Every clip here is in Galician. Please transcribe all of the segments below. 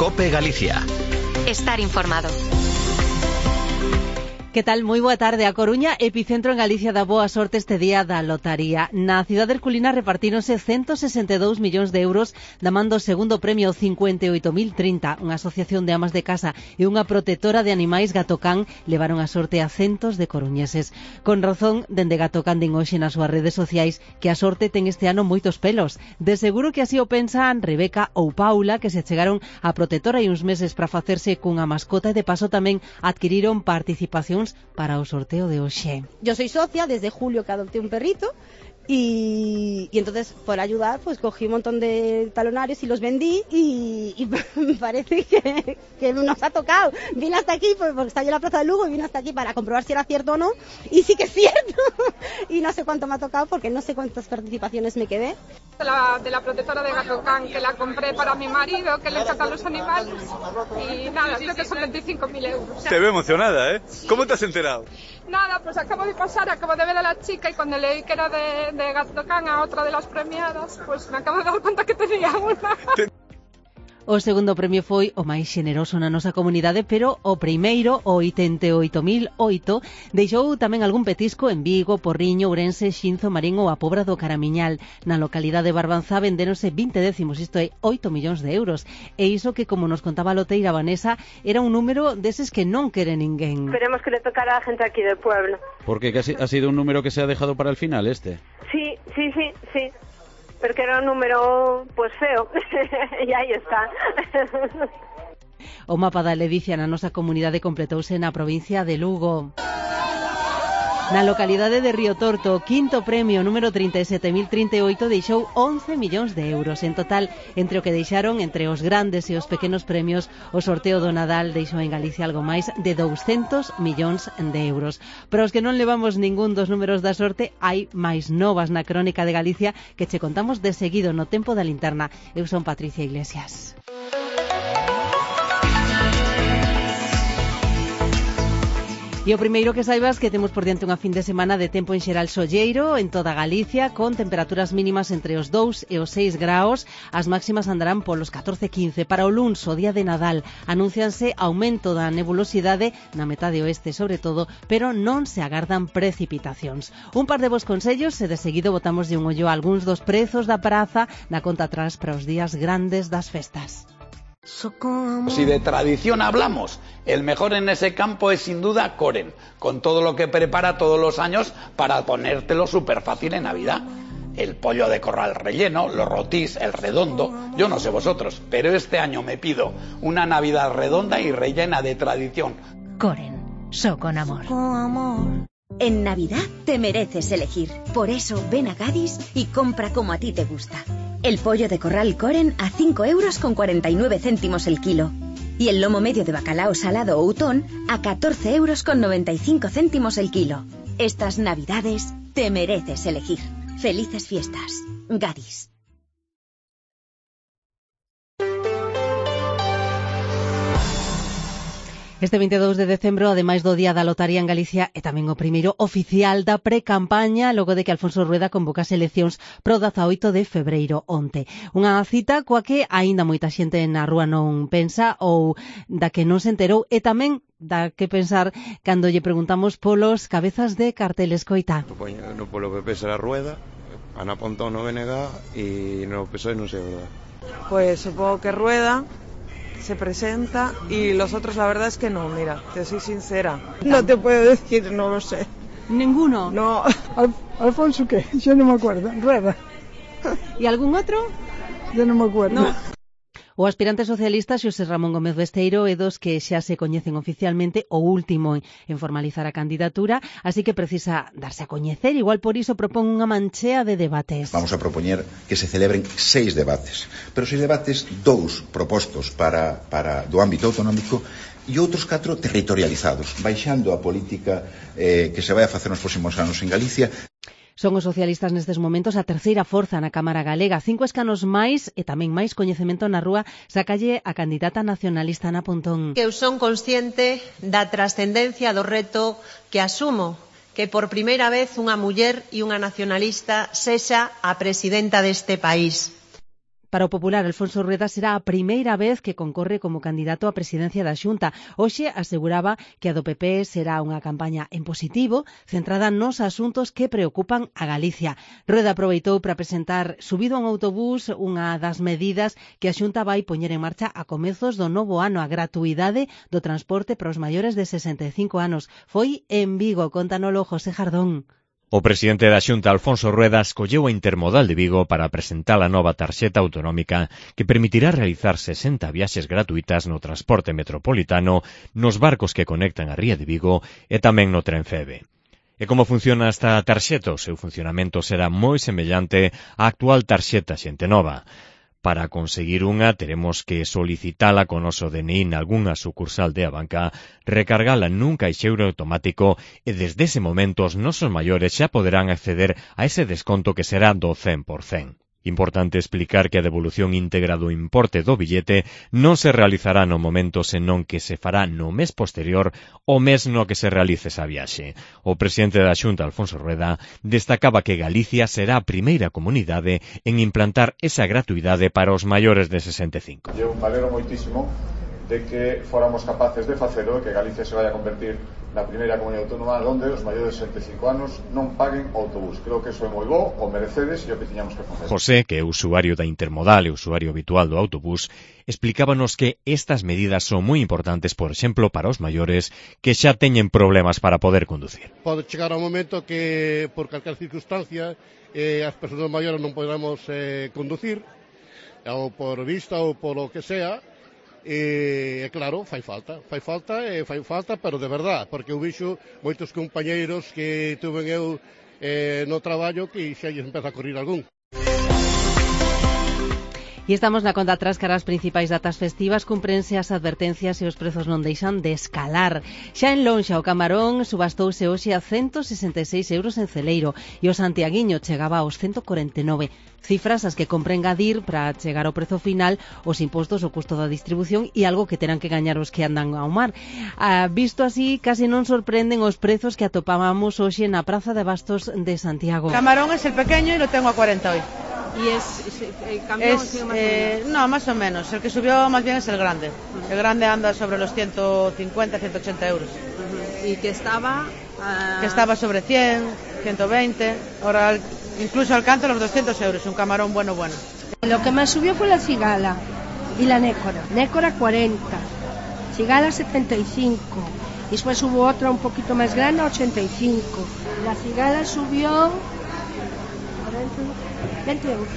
COPE Galicia. Estar informado. Que tal? Moi boa tarde. A Coruña, epicentro en Galicia da boa sorte este día da lotaría. Na cidade herculina repartíronse 162 millóns de euros da man do segundo premio 58.030. Unha asociación de amas de casa e unha protectora de animais Gatocán levaron a sorte a centos de coruñeses. Con razón, dende Gatocán din hoxe nas súas redes sociais que a sorte ten este ano moitos pelos. De seguro que así o pensan Rebeca ou Paula, que se chegaron a protectora hai uns meses para facerse cunha mascota e de paso tamén adquiriron participación para o sorteo de hoxe. Yo soy socia desde julio que adopté un perrito y entonces por ayudar pues cogí un montón de talonarios y los vendí y parece que nos ha tocado. Vine hasta aquí porque estaba yo en la Plaza de Lugo y vine hasta aquí para comprobar si era cierto o no y sí que es cierto y no sé cuánto me ha tocado porque no sé cuántas participaciones me quedé. De la protectora de Gatocán que la compré para mi marido que le encantan los animales y nada, creo que son 25.000 euros. Te veo emocionada, ¿eh? ¿Cómo te has enterado? Nada, pues acabo de ver a la chica y cuando leí que era de Gatocán a otra de las premiadas, pues me acabo de dar cuenta que tenía una. O segundo premio foi o máis xeneroso na nosa comunidade, pero o primeiro, o 88.008, deixou tamén algún petisco en Vigo, Porriño, Ourense, Xinzo, Marín ou a Pobra do Caramiñal. Na localidade de Barbanza vendéronse 20 décimos, isto é 8 millóns de euros. E iso que, como nos contaba a loteira Vanessa, era un número deses que non quere ninguén. Esperemos que le tocara a gente aquí del pueblo. Porque ha sido un número que se ha dejado para el final, este. Sí. Porque era un número, pues, feo. E aí está. O mapa da ledicia na nosa comunidade completouse na provincia de Lugo. Na localidade de Río Torto, o quinto premio, número 37.038, deixou 11 millóns de euros. En total, entre o que deixaron, entre os grandes e os pequenos premios, o sorteo do Nadal deixou en Galicia algo máis de 200 millóns de euros. Para os que non levamos ningún dos números da sorte, hai máis novas na Crónica de Galicia que che contamos de seguido no Tempo da Linterna. Eu son Patricia Iglesias. E o primeiro que saibas que temos por diante unha fin de semana de tempo en xeral solleiro en toda Galicia, con temperaturas mínimas entre os 2 e os 6 graos, as máximas andarán polos 14-15. Para o luns, o día de Nadal, anúncianse aumento da nebulosidade na metade oeste sobre todo, pero non se agardan precipitacións. Un par de bons consellos e de seguido botamos de un ollo a algúns dos prezos da praza na conta atrás para os días grandes das festas. Si de tradición hablamos, el mejor en ese campo es sin duda Koren, con todo lo que prepara todos los años para ponértelo súper fácil en Navidad. El pollo de corral relleno, los rotís, el redondo, yo no sé vosotros, pero este año me pido una Navidad redonda y rellena de tradición. Koren, so con amor. En Navidad te mereces elegir. Por eso ven a Gadis y compra como a ti te gusta. El pollo de corral Koren a 5,49 € el kilo. Y el lomo medio de bacalao salado o utón a 14,95 € el kilo. Estas Navidades te mereces elegir. Felices fiestas. Gadis. Este 22 de decembro, ademais do Día da Lotaría en Galicia, é tamén o primeiro oficial da pre-campaña logo de que Alfonso Rueda convocase eleccións pro 18 de febreiro onte. Unha cita coa que aínda moita xente na rúa non pensa ou da que non se enterou e tamén da que pensar cando lle preguntamos polos cabezas de cartel. Escoita. No polo PP será Rueda, Ana Pontón no BNG e no PSOE non sei, verdad. Pues supongo que Rueda se presenta y los otros la verdad es que no, mira, te soy sincera. No te puedo decir, no lo sé. ¿Ninguno? No. ¿Alfonso qué? Yo no me acuerdo. Rueda. ¿Y algún otro? Yo no me acuerdo. No. O aspirante socialista Xosé Ramón Gómez Besteiro é dos que xa se coñecen oficialmente, o último en formalizar a candidatura, así que precisa darse a coñecer, igual por iso propón unha manchea de debates. Vamos a propoñer que se celebren 6 debates, pero 6 debates, 2 propostos para do ámbito autonómico e outros 4 territorializados, baixando a política que se vai a facer nos próximos anos en Galicia. Son os socialistas nestes momentos a terceira forza na Cámara Galega. 5 escanos máis e tamén máis coñecemento na rúa sacalle a candidata nacionalista Ana Pontón. Que eu son consciente da trascendencia do reto que asumo, que por primeira vez unha muller e unha nacionalista sexa a presidenta deste país. Para o popular, Alfonso Rueda será a primeira vez que concorre como candidato á presidencia da Xunta. Hoxe aseguraba que a do PP será unha campaña en positivo, centrada nos asuntos que preocupan a Galicia. Rueda aproveitou para presentar subido a un autobús unha das medidas que a Xunta vai poñer en marcha a comezos do novo ano, a gratuidade do transporte para os maiores de 65 anos. Foi en Vigo, contanolo José Jardón. O presidente da Xunta, Alfonso Rueda, escolleu a Intermodal de Vigo para presentar a nova tarxeta autonómica que permitirá realizar 60 viaxes gratuitas no transporte metropolitano, nos barcos que conectan a Ría de Vigo e tamén no tren Feve. E como funciona esta tarxeta? O seu funcionamento será moi semellante á actual tarxeta Xente Nova. Para conseguir unha, teremos que solicitala con noso DNI nalgunha sucursal de Abanca, recargala nun caixeiro automático e desde ese momento os nosos maiores xa poderán acceder a ese desconto que será do 100%. Importante explicar que a devolución íntegra do importe do billete non se realizará no momento, senón que se fará no mes posterior ao mes no que se realice esa viaxe. O presidente da Xunta, Alfonso Rueda, destacaba que Galicia será a primeira comunidade en implantar esa gratuidade para os maiores de 65. Eu valero moitísimo de que fóramos capaces de facelo e que Galicia se vai a convertir na primeira comunidade autónoma onde os maiores de 65 anos non paguen autobús. Creo que eso é moi bo, o merecedes e o que tiñamos que facer. José, que é usuario da Intermodal e usuario habitual do autobús, explicábanos que estas medidas son moi importantes, por exemplo, para os maiores que xa teñen problemas para poder conducir. Pode chegar ao momento que, por calquer circunstancia, as persoas maiores non podamos conducir, ou por vista ou por o que sea. E claro, fai falta, pero de verdad, porque eu vixo moitos compañeiros que tuven eu no traballo que xa lles empeza a correr algún. E estamos na conta atrás cara as principais datas festivas, cumprense as advertencias e os prezos non deixan de escalar. Xa en Lonxa o camarón subastouse hoxe a 166 euros en Celeiro e o santiaguiño chegaba aos 149. Cifras as que compre engadir para chegar ao prezo final os impostos, o custo da distribución e algo que terán que gañar os que andan ao mar. Visto así, casi non sorprenden os prezos que atopábamos hoxe na Praza de Bastos de Santiago. Camarón es el pequeño y lo tengo a 40 hoy. ¿Y cambió más o menos? No, más o menos. El que subió más bien es el grande. El grande anda sobre los 150, 180 euros. ¿Y que estaba? Que estaba sobre 100, 120. Ahora incluso alcanza los 200 euros, un camarón bueno. Lo que más subió fue la cigala y la nécora. Nécora 40, cigala 75. Y después hubo otra un poquito más grande, 85. La cigala subió 20 euros.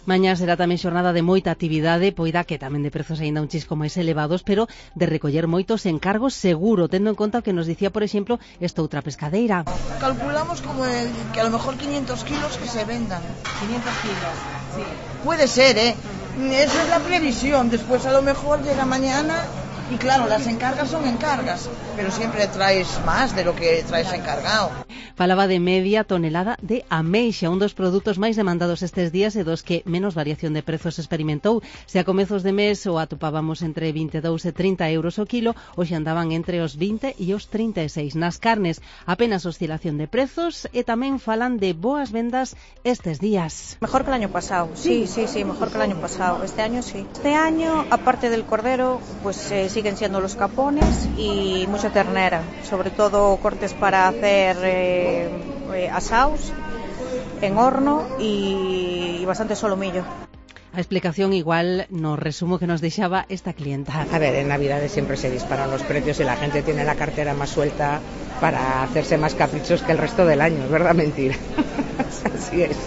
Mañá será tamén xornada de moita actividade, poida que tamén de prezos aínda un chisco máis elevados, pero de recoller moitos encargos seguro, tendo en conta o que nos dicía, por exemplo, esta outra pescadeira. Calculamos como que a lo mejor 500 kilos que se vendan. 500 kilos, sí. Puede ser, Esa es la previsión. Después a lo mejor llega mañana y claro, las encargas son encargas, pero siempre traes más de lo que traes encargado. Falaba de media tonelada de ameixa, un dos produtos máis demandados estes días e dos que menos variación de prezos experimentou. Se a comezos de mes o atopábamos entre 22 e 30 euros o kilo, hoxe andaban entre os 20 e os 36. Nas carnes, apenas oscilación de prezos e tamén falan de boas vendas estes días. Mejor que el año pasado, sí, mejor que el año pasado. Este año sí. Este año, aparte del cordero, pues siguen siendo los capones y mucha ternera, sobre todo cortes para hacer asaos en horno y bastante solomillo. A explicación igual nos resumo que nos deixaba esta clienta. A ver, en Navidades siempre se disparan los precios y la gente tiene la cartera más suelta para hacerse más caprichos que el resto del año, es verdad, mentira. Así es.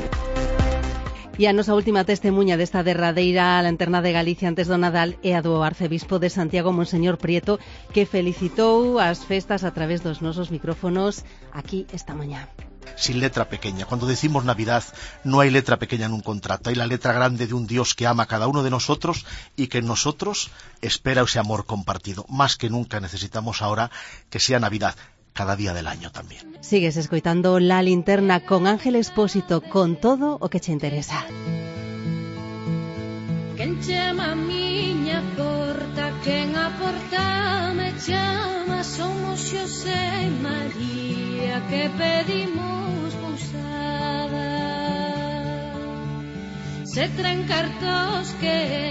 E a nosa última testemuña desta derradeira lanterna de Galicia antes do Nadal é a do arcebispo de Santiago, Monseñor Prieto, que felicitou as festas a través dos nosos micrófonos aquí esta mañá. Sin letra pequeña. Cuando decimos Navidad, no hay letra pequeña en un contrato. Hay la letra grande de un Dios que ama a cada uno de nosotros y que en nosotros espera ese amor compartido. Más que nunca necesitamos ahora que sea Navidad, cada día del año también. Sigues escoitando La Linterna con Ángel Expósito, con todo o que che interesa. Quen chama a miña porta, quen a porta me chama, somos Xosé e María que pedimos pousada. se trencar tos que